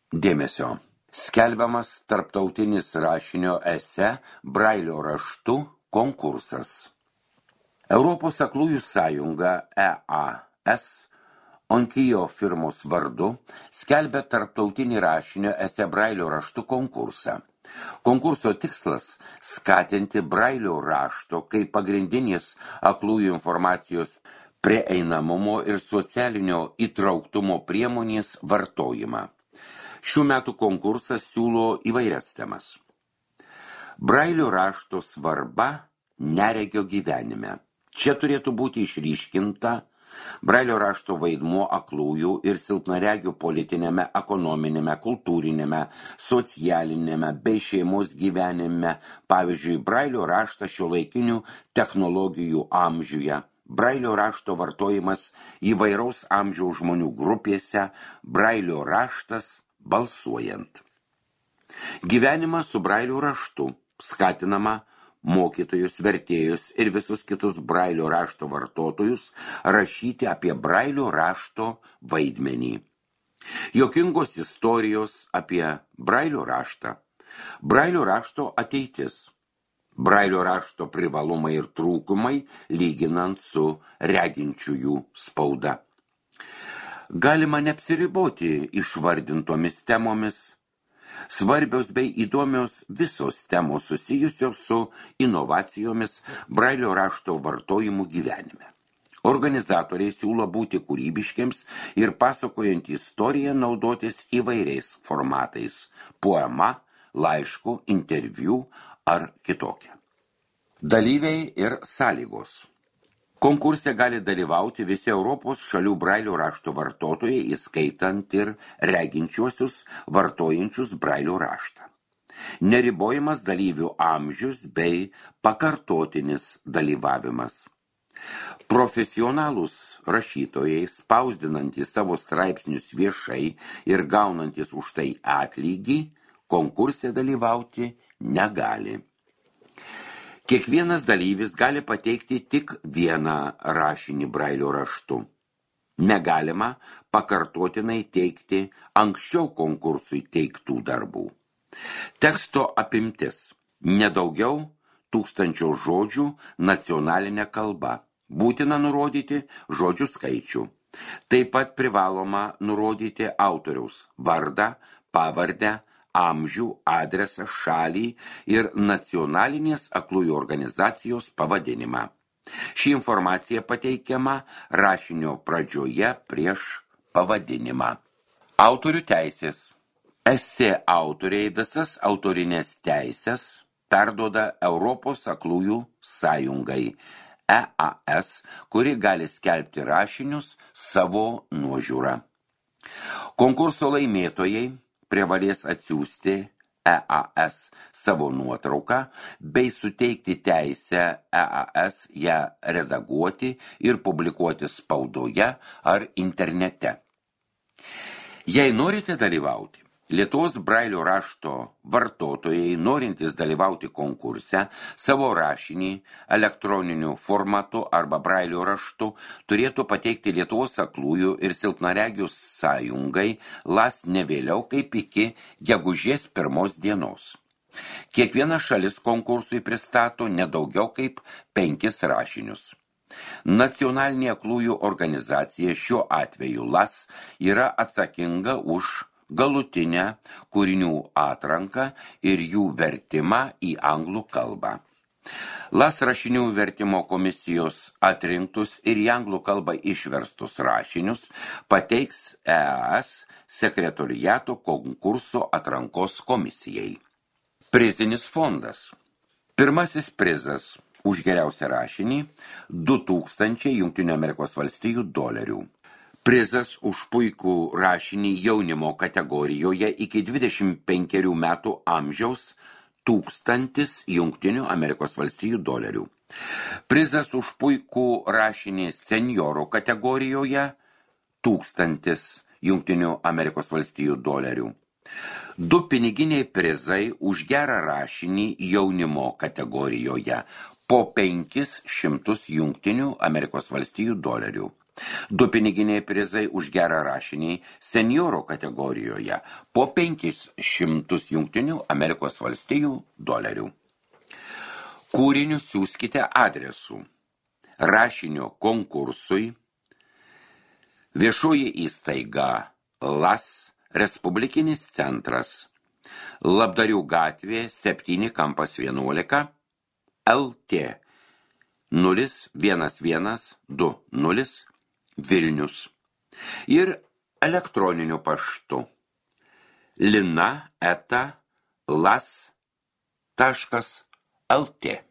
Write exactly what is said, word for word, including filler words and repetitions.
Dėmesio. Skelbiamas tarptautinis rašinio esė Brailio raštu konkursas. Europos aklųjų sąjunga E A S Onkijo firmos vardu skelbia tarptautinį rašinio esė Brailio raštu konkursą. Konkurso tikslas – skatinti Brailio rašto kaip pagrindinis aklųjų informacijos prieinamumo ir socialinio įtrauktumo priemonės vartojimą. Šių metų konkursas siūlo įvairias temas. Brailio rašto svarba neregio gyvenime. Čia turėtų būti išryškinta Brailio rašto vaidmuo aklųjų ir silpnaregių politinėme, ekonominėme, kultūrinėme, socialinėme bei šeimos gyvenime, pavyzdžiui, Brailio raštą šiuolaikinių technologijų amžiuje, Brailio rašto vartojimas įvairaus amžiaus žmonių grupėse, Brailio raštas balsuojant. Gyvenimas su Brailio raštu skatinama mokytojus, vertėjus ir visus kitus Brailio rašto vartotojus rašyti apie Brailio rašto vaidmenį. Jokingos istorijos apie Brailio raštą. Brailio rašto ateitis. Brailio rašto privalumai ir trūkumai lyginant su reginčiųjų spauda. Galima neapsiriboti išvardintomis temomis. Svarbios bei įdomios visos temos susijusios su inovacijomis Brailio rašto vartojimu gyvenime. Organizatoriai siūlo būti kūrybiškiams ir pasakojant istoriją naudotis įvairiais formatais – poema, laišku, interviu ar kitokia. Dalyviai ir sąlygos. Konkurse gali dalyvauti visi Europos šalių Brailio rašto vartotojai, įskaitant ir reginčiuosius vartojančius Brailio raštą. Neribojamas dalyvių amžius bei pakartotinis dalyvavimas. Profesionalūs rašytojai, spausdinantys savo straipsnius viešai ir gaunantys už tai atlygį, konkurse dalyvauti negali. Kiekvienas dalyvis gali pateikti tik vieną rašinį Brailio raštu. Negalima pakartotinai teikti anksčiau konkursui teiktų darbų. Teksto apimtis – nedaugiau tūkstančio žodžių nacionalinė kalba. Būtina nurodyti žodžių skaičių. Taip pat privaloma nurodyti autoriaus vardą, pavardę, amžių, adresą, šalį ir nacionalinės aklųjų organizacijos pavadinimą. Ši informacija pateikiama rašinio pradžioje prieš pavadinimą. Autorių teisės. Esė autoriai visas autorinės teisės perduoda Europos aklųjų sąjungai E A S, kuri gali skelbti rašinius savo nuožiūrą. Konkurso laimėtojai privalės atsiųsti E A S savo nuotrauką bei suteikti teisę E A S ją redaguoti ir publikuoti spaudoje ar internete. Jei norite dalyvauti, Lietuvos Brailio rašto vartotojai, norintys dalyvauti konkurse, savo rašinį elektroniniu formatu arba Brailio raštu turėtų pateikti Lietuvos aklųjų ir silpnaregių sąjungai las ne vėliau kaip iki gegužės pirmos dienos. Kiekviena šalis konkursui pristato nedaugiau kaip penkis rašinius. Nacionalinė aklųjų organizacija šiuo atveju las yra atsakinga už galutinę kūrinių atranką ir jų vertimą į anglų kalbą. Las rašinių vertimo komisijos atrinktus ir į anglų kalbą išverstus rašinius pateiks E A S sekretoriato konkurso atrankos komisijai. Prizinis fondas. Pirmasis prizas už geriausią rašinį – du tūkstančiai Jungtinių Amerikos valstijų dolerių. Prizas už puikų rašinį jaunimo kategorijoje iki dvidešimt penkerių metų amžiaus tūkstantis Jungtinių Amerikos valstijų dolerių. Prizas už puikų rašinį senjorų kategorijoje tūkstantis Jungtinių Amerikos valstijų dolerių. Du piniginiai prizai už gerą rašinį jaunimo kategorijoje po penkis šimtus Jungtinių Amerikos valstijų dolerių. Du piniginiai prizai už gerą rašinį senioro kategorijoje po penkis šimtus Jungtinių Amerikos valstijų dolerių. Kūrinius siųskite adresu rašinio konkursui viešoji įstaiga LAS Respublikinis centras Labdarių gatvė septyni kampas vienuolika L T nulis vienas vienas du nulis Vilnius ir elektroniniu paštu lina eta las taškas lt.